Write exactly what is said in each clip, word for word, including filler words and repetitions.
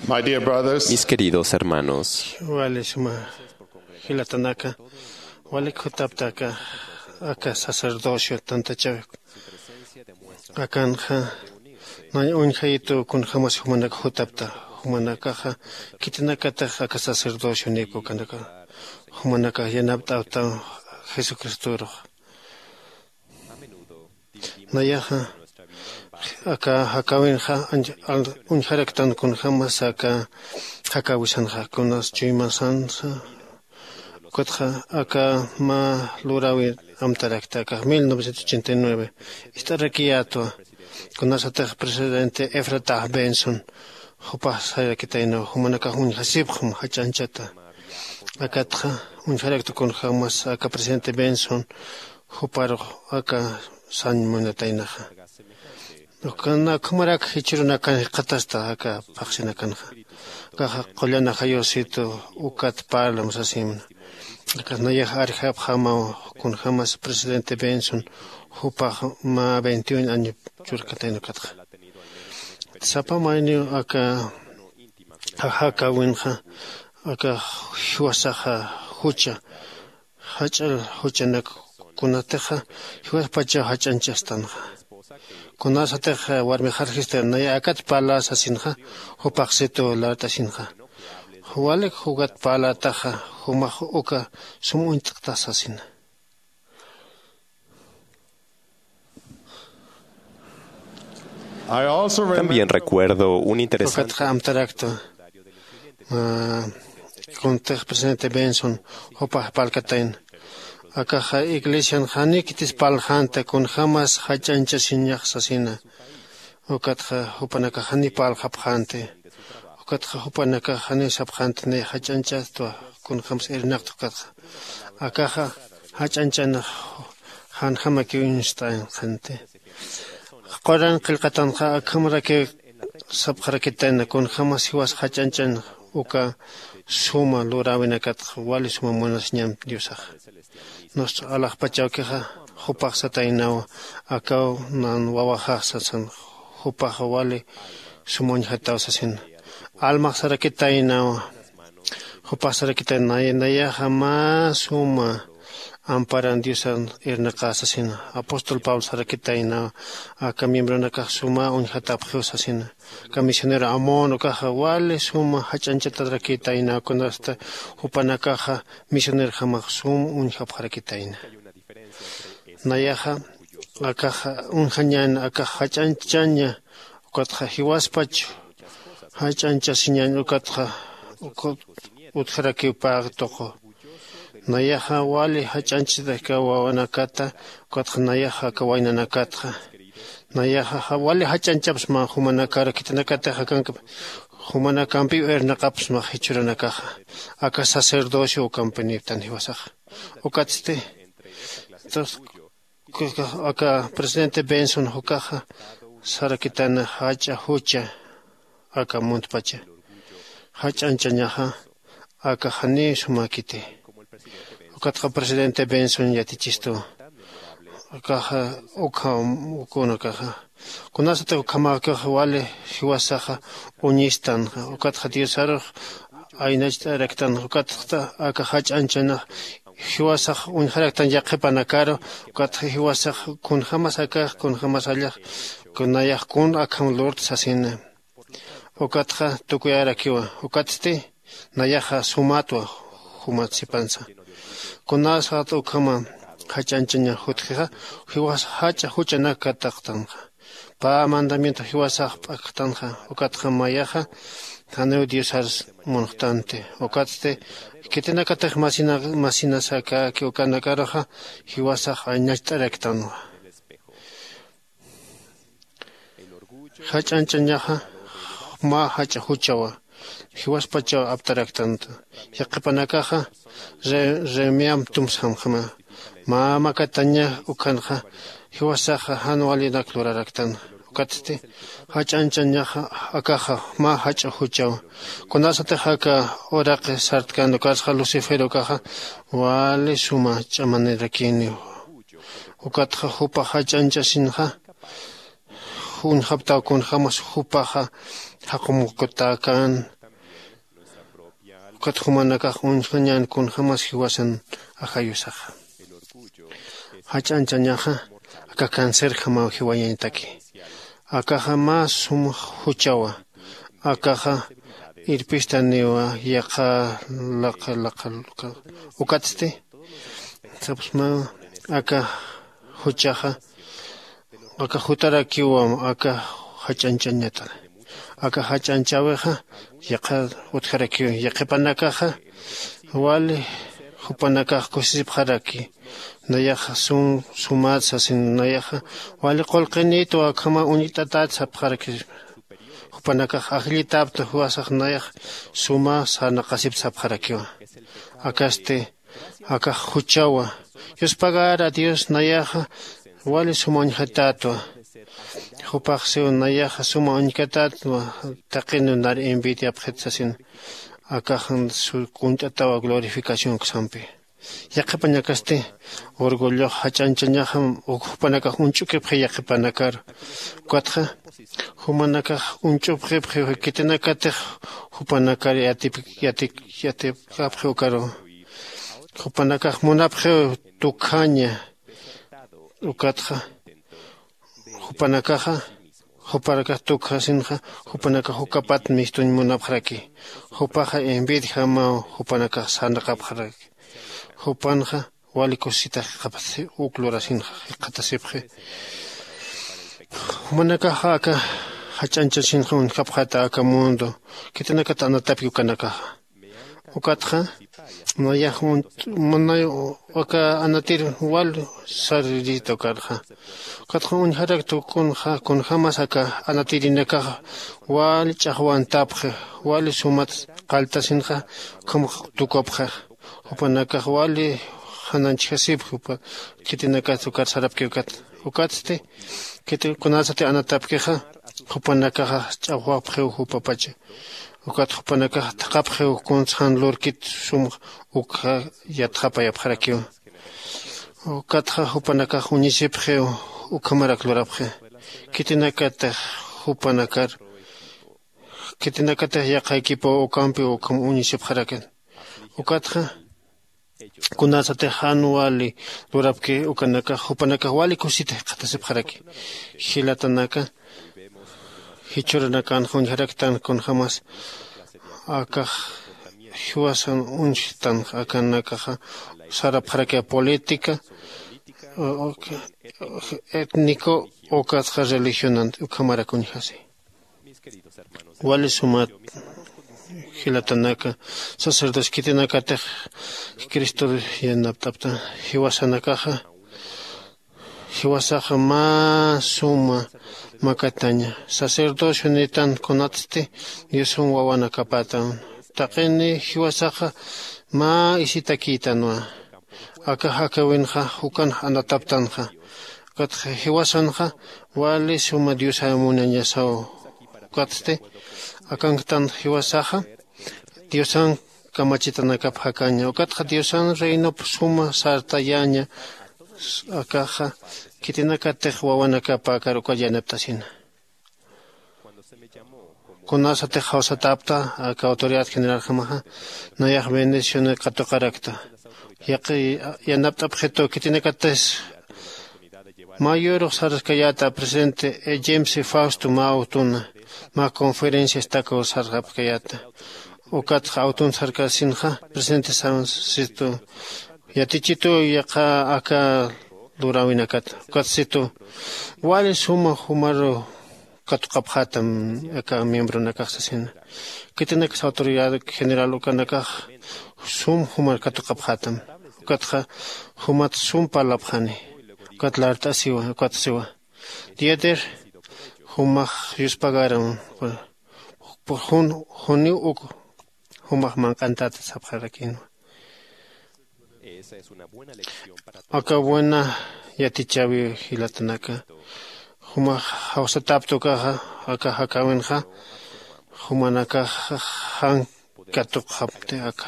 My dear brothers, mis queridos hermanos, wali suma jilatanaka, walik jutaptaka aka sacerdocio tantachawi akanxa, nañ uñjayitu kunjämas jumanaka jutapta. Jumanakaxa khitinakatix aka sacerdocio nikukanaka, jumanakax yanapt'awta jesucristorux. Nayaxa aka jakäwinxa uñjaraktan kunjämas aka jakäwisanxa kunas chuymasansa. Ukatxa aka mä luräwi amtarakta akax mil novecientos ochenta y nueve ist'arakiyätwa. Kunasatix presidente efrata benson jupax sayarakitaynaw jumanakax uñjasipxam jach'anchata. Akatxa uñjarakta kunjämas aka presidente benson juparux aka sañ munataynaxa. Ukana ukhamarak jichhürunakan jikxatasta aka phaxsinakanxa. Akaxa qullan ajayusitu ukat parlam sasimna. Akas nayax arjapxamaw kunjämas presidente benson jupax mä veintiun año churkatayna ukatxa. Sapa mayniw aka jakäwinxa aka jiwasaxa jucha jach'a juchanak kunatixa jiwaspachaw jach'anchastanxa. Kunasatix warmix jarjista naya akat parla sasinxa, jupaxsitu lart'asinxa walik jukat parlataxa jumax uka sum uñt'kta sasina. También recuerdo un interesante. Ukatxa amtarakta kuntix presidente benson jupax parlkatayna. Akaxa iglesian janiw khitis parlxänti kunjämas jach'anchasiñax sasina. Ukatxa jupanakax janiw parlxapxänti. Ukatxa jupanakax janiw sapxänti nayax jach'anchätwa kunjämas irnaqta ukatxa. Akaxa jach'anchanax janjamakiw uñst'ayanxänti. Quran qillqatanxa akhamarakiw sapxarakitayna kunjämas jiwas jach'anchan uka suma luräwinakatxa wali suma munasiñam diosaxa. Nusta alaxpachawkixa jupax sataynawa, akaw nan wawaxax sasan, jupaxa wali suma uñjataw sasina. Almax sarakitaynawa, jupax sarakitaynawa nayaxa mä suma amparan diosan irnaqä sasina. Apóstol pablo sarakitaynawa aka miembronakax suma uñjatapxiw sasina. Aka misionero amón ukaxa wali suma jach'anchatarakitaynawa kunasta jupanakaxa misionerjamax sum uñjapxarakitayna. Nayaxa akaxa uñjañäni akax jach'anchaña ukatxa jiwaspach jach'anchasiñäni ukatxa utjarakiw pä tuqu. Nayaxa wali jach'anchasitaki wawanakata ukatxa nayaxa aka waynanakatxa. Nayaxa wali jach'anchapxsma jumanakar khitinakatix akankampi jumanakampiw irnaqapxsma jichhürunakaxa aka sacerdocio ukampi niptan jiwasaxa. Ukatsti aka presidente benson jukaxa sarakitana jach'a jucha aka muntpacha jach'anchañaxa aka janiw sumäkiti. Ukatxa presidente benson yatichistu akaxa ukham ukunakaxa kunasatix ukhamäkix wali jiwasaxa uñistanxa ukatxa diosarux aynacht'araktanxa ukatxa aka jach'anchanax jiwasax uñjaraktan yaqhipanakaru. Ukatxa jiwasax kunjämas akax kunjämas allax kunayax kun akham lurta sasina. Ukatxa tukuyarakiwa ukatsti nayaxa sumätwa jumat sipansa. Kunasat ukhama jach'anchaña jutjixa jiwas jach'a juchanak kataqtanxa. Pä mandamiento jiwasax p'akxtanxa ukatxa mayaxa janiw diosar munxtanti. Ukatsti khitinakatix masinas akäki ukanakaruxa jiwasax aynacht'araktanwa. Jach'anchañaxa mä jach'a juchawa jiwaspachaw aptaraktantu. Yaqhipanakaxa remiamp tumsamjama mä makataña ukhanxa jiwasaxa jan walinak luraraktan. Ukatsti jach'anchañaxa akaxa mä jach'a juchawa kunasatix aka uraqi sartkan ukarsa lucifer ukaxa wali suma ch'amanirakiniw. Ukatxa jupax jach'anchasinxa uñjaptaw kunjämas jupaxa jaqumukutäkän Ukat jumanakax uñjañan kunjämas jiwasan ajayusaxa. Jach'anchañaxa aka cancerjamaw jiwañañataki. Akaxa mä sum juchawa. Akaxa irpistaniwa yaqha laqha laqha laqha. Ukatsti sapsma aka juchaxa aka jutarakiwam aka jach'anchañata. Aka jach'anchäwixa yaqha utjarakiw yaqhipanakaxa wali jupanakax kusisipxaraki. Nayaxa sum sumat sasin nayaxa wali qullqinïtwa ukhama uñt'atat sapxaraki. Jupanakax ajllitapta jiwasax nayax suma sarnaqasip sapxarakiwa. Akasti akax juchawa yuspagara dios nayaxa wali suma uñjatätwa. Jupax siw nayaxa suma uñkatätwa taqin nar envidiapxit sasin. Akax kunt'atawa glorificación uksampi. Yaqhipañakasti orgullox jach'anchañaxam jupanakax uñch'ukipxi yaqhipanakar. Ukatxa jumanakax uñch'upxipxi khitinakatix jupanakar yatipkapxi ukaru. Jupanakax munapxiw tukjaña. Ukatxa jupanakaxa jupanakax tukjasinxa jupanakax ukapat mistuñ munapxaraki. Jupaxa envidiajamaw jupanakax sarnaqapxaraki. Jupanxa wali kusisitax jikxatasi uk lurasinxa jikxatasipxi. Jumanakaxa aka jach'anchasinxa uñjapxata aka mundo khitinakat anatapki ukanakaxa. Ukatxa nayax munay aka anatir wal saririta ukarxa. Ukatxa uñjarakta kunxa kunjämas aka anatirinakaxa wal ch'axwantapxi wal sumat qalltasinxa ukham tukupxi. Jupanakax wali jananchjasipxi upa khitinakat ukar sarapki ukat. Ukatsti khiti kunasati anatapkixa jupanakaxa ch'axwapxiw jupapacha. Ukat jupanakax thaqhapxiw kuns jan lurkit sum ukxa yatxapayapxarakiw. Ukatxa jupanakax uñisipxiw ukhamarak lurapxi. Khitinakatix jupanakar khitinakatix yaqha equipow ukampiw ukham uñisipxarakin. Ukatxa kunasatix jan wali lurapki ukanakax jupanakax wali kusita jikxatasipxaraki. Jilatanaka jichhuranakanxa uñjaraktan kunjämas akax jiwasan uñjtanxa akanakaxa sarapxarakiw política étnico ukatxa religionan ukhamarak uñjasi. Wali sumat jilatanaka sacerdocio khitinakatix cristor yanapt'apta jiwasanakaxa jiwasaxa mä suma makataña. Sacerdocio nitan kunatsti diosan wawanakapätan taqini jiwasaxa mä isitakïtanwa. Aka jakäwinxa jukan anataptanxa. Ukatxa jiwasanxa wali suma diosaw munañasaw. Ukatsti akanktan jiwasaxa diosan kamachitanakap jakaña ukatxa diosan reinop suma sartayaña. Akaxa khitinakatix wawanakäpäkar uka yanaptasina. Kunasatix jawsatäpta aka autoridad generaljamaxa nayax bendicionar katuqarakta. Yaqi yanapt'apxitu khitinakatis mä yurux sarskayäta presidente james fausto mä awtuna mä conferencia estaco sarxapkayäta. Ukatxa awtun sarkasinxa presidente sansitu yatichitu yaqha aka luräwinakat ukatsitu wali suma jumaru katuqapxätam aka miembronakax sasina. Khitinakas autoridad general ukanakax sum jumar katuqapxätam. Ukatxa jumat sum parlapxani. Ukat lart'asiwa ukat siwa diader jumax yuspagaram jun juniw uk jumax manq'antäta sapxarakinwa. Aka buena yatichäwi jilatanaka jumax jawsatäpta ukaxa aka jakäwinxa jumanakax jan katuqxapti aka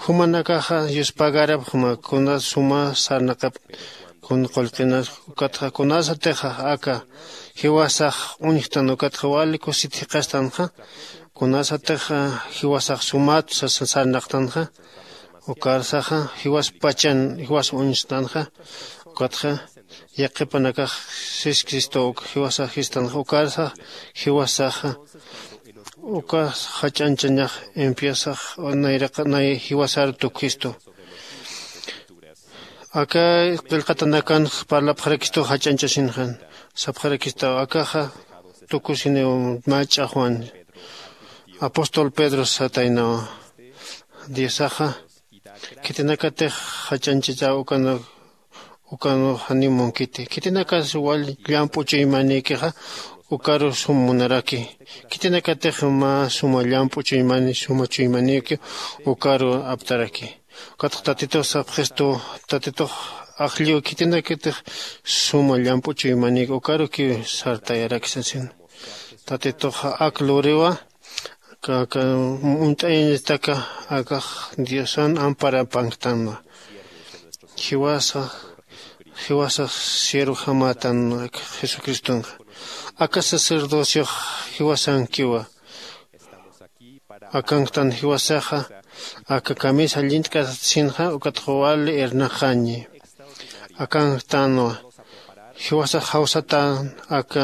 jumanakaxa yuspagarap juma kuna suma sarnaqap kun qullqinas. Ukatxa kunasatixa aka jiwasax uñjtan ukatxa wali kusit jiqastanxa, kunasatixa jiwasax sumat sasasarnaqtanxa, ukarsaxa jiwaspachan jiwas uñstanxa. Ukatxa yaqhipanakax sis cristo jiwasax jistanxa ukarsax jiwasaxa uka jach'anchañax empiesax nayraqa nay jiwasar tukistu. Aka qillqatanakan parlapxarakistu jach'anchasinxan sapxarakistaw akaxa tukusiniw mach'a juan apóstol pedro sataynawa. Diosaxa khitinakatix jach'anchachaw ukana ukanu janiw munkiti khitinakas wal llamp'u chuymanikixa ukaru sum munaraki. Khitinakatix mä suma llamp'u chuymani suma chuymanikiw ukaru aptaraki. Ukatx tatitux sapxistu tatitux ajlliw khitinakatix suma llamp'u chuymanik ukarukiw sartayarakisasin. Tatitux ak luriwa aka uñt'ayañataka akax diosan amparapanktanwa. Jiwasax jiwasax siervojamatan jesucristonxa aka sacerdociox jiwasankiwa. Akanktan jiwasaxa aka kamisa llint'kasatsinxa ukatxa wali irnaqañi. Akanktanwa jiwasax jawsatan aka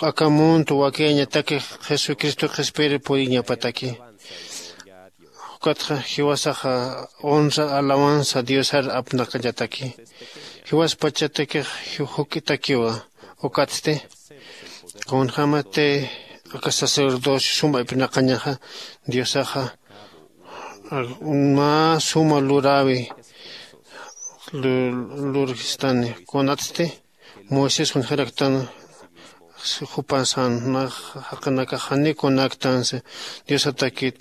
aka mundo wakiyañataki jesucristo qhispiri puriñapataki. Ukatxa jiwasaxa honra alabanza diosar apnaqañataki. Jiwaspachatakix juk'itakiwa. Ukatsti kunjämati aka sacerdocio suma ipnaqañaxa diosaxa mä suma luräwi lurjistani. Kunatsti moisés uñjaraktan jupasan jaqinakax janiw kunaktansi diosatakit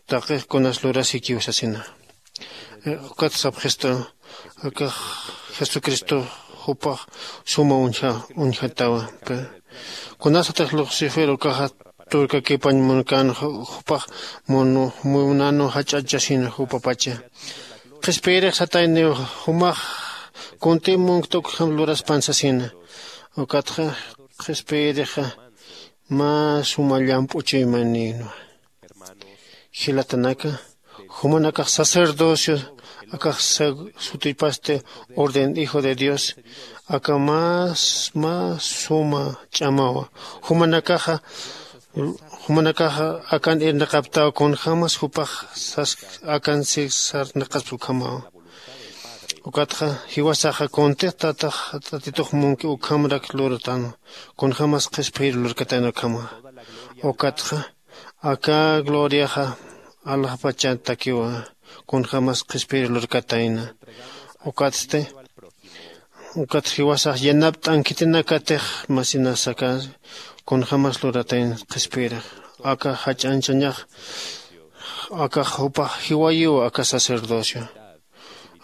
taqix kunas lurasikiw sasina. Ukat sapxistu akax jesucristo jupax suma uñja uñjatawa. Kunasatix lucifer ukaxa turkakipañ munkan jupax munanu jach'achasina jupapacha qhispiyirix satayniw jumax kunti munkta ukjam luraspan sasina. Ukatxa qhispiyirixa mä suma llamp'u chuymanïnwa. Jilatanaka jumanakax sacerdocio akax sutipasti orden hijo de dios aka más más suma ch'amawa. Jumanakaxa jumanakaxa akan irnaqaptaw kunjämas jupax sas akan sisarnaqaspa ukhamawa. Ukatxa jiwasaxa kuntix tatax tatitux munki ukhamrak luratan kunjämas qhispiyir lurkatayna ukhama. Ukatxa aka gloriaxa alaxpachatakiwa kunjämas qhispiyir lurkatayna. Ukatsti ukat jiwasax yanapt'an khitinakatix masinasaka kunjämas luratayna qhispiyirix aka jach'anchañax akax jupax jiwayiw aka sacerdocio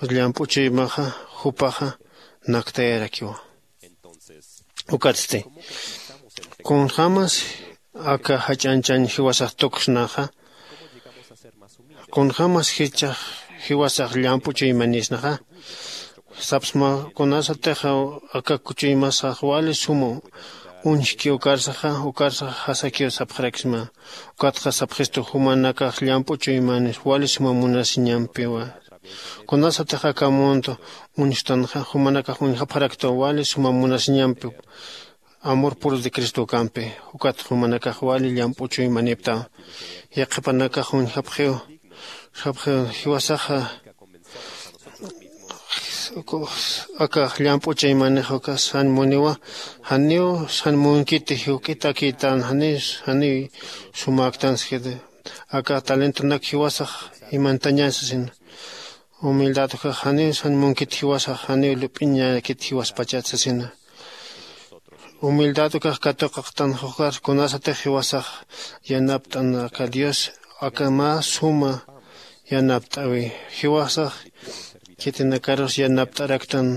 llamp'u chuymaxa jupaxa naktayarakiwa. Ukatsti kunjämas aka jach'anchañ jiwasax tuksnaxa kunjämas jichhax jiwasax llamp'u chuymanisnaxa sapsma kunasatixa aka kuchuymasax wali suma uñjki ukarsaxa ukarsax jasakiw sapxarakisma. Ukatxa sapxistu jumanakax llamp'u chuymanis wali suma munasiñampiwa kunasatix aka mundo uñstanxa jumanakax uñjapxaraktaw wali suma munasiñampi amor puro de cristo ukampi. Ukat jumanakax wali llamp'u chuymaniptaw yaqhipanakax uñjapxiw sapxiw jiwasaxa aka llamp'u chuymanix uka san muniwa janiw san munkiti juk'itakitan janiw janiw sumaktan sijiti aka talentonak jiwasax imantañan sasina. Humildad ukax janiw san munkit jiwasax janiw lup'iñakit jiwaspachat sasina. Humildad ukax katuqaqtan jukar kunasatix jiwasax yanapt'an aka dios aka mä suma yanapt'äwi jiwasax khitinakarus yanapt'araktan.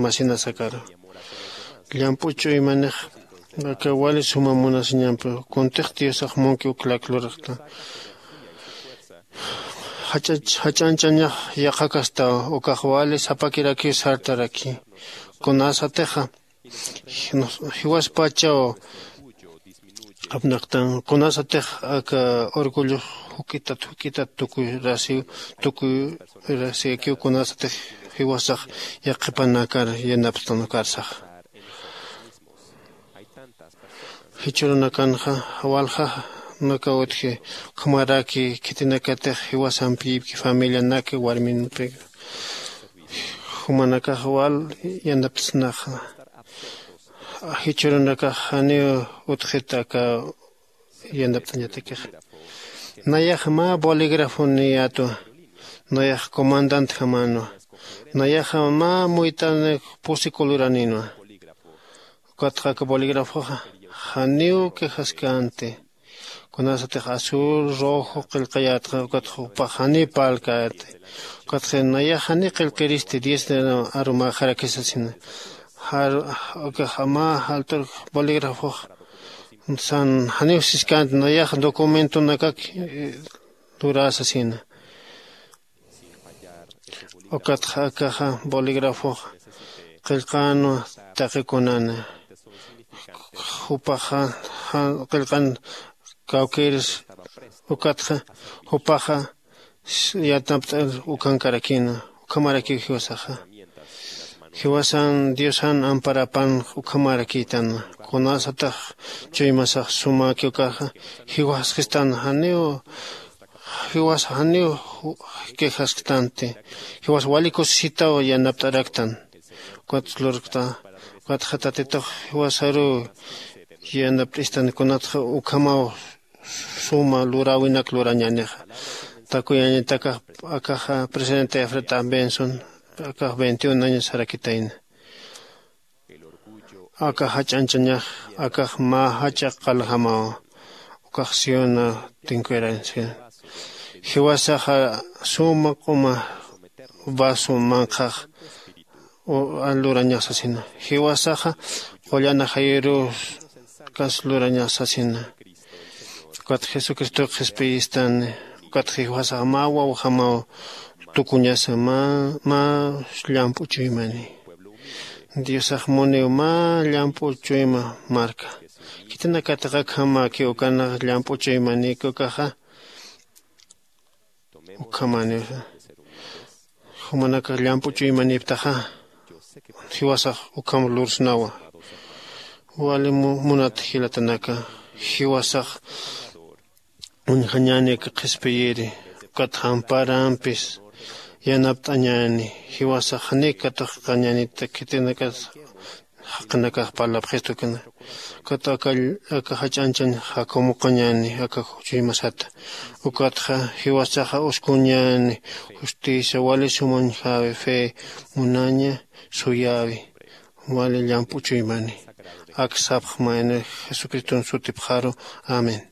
Masinasakaru llamp'u ch'uymanix aka wali suma munasiñampi kuntix diosax munki uklak luraqta jach'añchañax yaqhakastaw. Ukax wali sapakirakiw sartaraki. Kunasatixa jiwaspachaw apnaqtan kunasatix aka orgullox juk'itat juk'itat tukuyurasiw tukuyurasikiw kunasatix jiwasax yaqhipanakar yanaptankarsaxa. Jichhürunakanxa walja naka utji ukhamaraki khitinakatix jiwasampiyipki familianaki warminpi jumanakax wal yanaptsnaxa. Jichhürunakax janiw utjit aka yanapt'añatakix. Nayax mä bolígrafoniyätwa. Nayax comandantjamanwa. Nayaxa mä muytanik pusi coluraninwa. Ukatxa aka bolígrafoxa janiw quejaskänti. Kunasatix azul rojo qillqayätxa ukatxa jupax janiw parlkäti. Ukatxa nayax janiw qillqiristi diez arumäxaraki sasina. Ukax mä jaltur bolígrafox san janiw siskänti nayax documentonakak luräsasina. Ukatxa akaxa bolígrafox qillqänwa taqikunana. Jupaxa qillqan kawkïrs. Ukatxa jupaxa yanapt'ir ukankarakïna. Ukhamarakiw jiwasaxa jiwasan diosan amparapan. Ukhamarakïtan kunasatax chuymasax sumäki ukaxa jiwaskistan janiw jiwas janiw quejasktanti. Jiwas wali kusisitaw yanapt'araktan. Ukat lurkta ukatxa tatitux jiwasaruw yanapt'istan kunatxa ukhamaw suma luräwinak lurañänixa. Takuyañatakax akaxa presidente efreta benson akax veintiun años sarakitayna. Aka jach'añchañax akax mä jach'a qaljamaw. Ukax siona tinkuyaransi jiwasaxa suma q'uma vaso manqhax lurañax sasina. Jiwasaxa qullan ajayirus kas lurañax sasina. Ukat jesucristox qhispiyistani. Ukat jiwasax mä wawjamaw tukuñasa mä llamp'u chuymani. Diosax muniw mä llamp'u chuyma marka. Khitinakatix akhamäki ukanax llamp'u chuymanïki ukaxa ukhamaniw jumanakax llamp'u chuymanïptaxa jiwasax ukham lursnawa. Wali munat jilatanaka jiwasax uñjañäni aka qhispiyiri ukat jamparampis yanapt'añäni. Jiwasax janiw katuqkañänita khitinakat jaqinakax parlapxistu ukana. Ukat aka jach'añchañ jakumuqañäni aka chuymasata. Ukatxa jiwasaxa uskuñäni justicia wali sumañjäwi fe munaña suyäwi wali llamp'u chuymani. Ak sapxmayni jesucriston sutipxaru. Amén.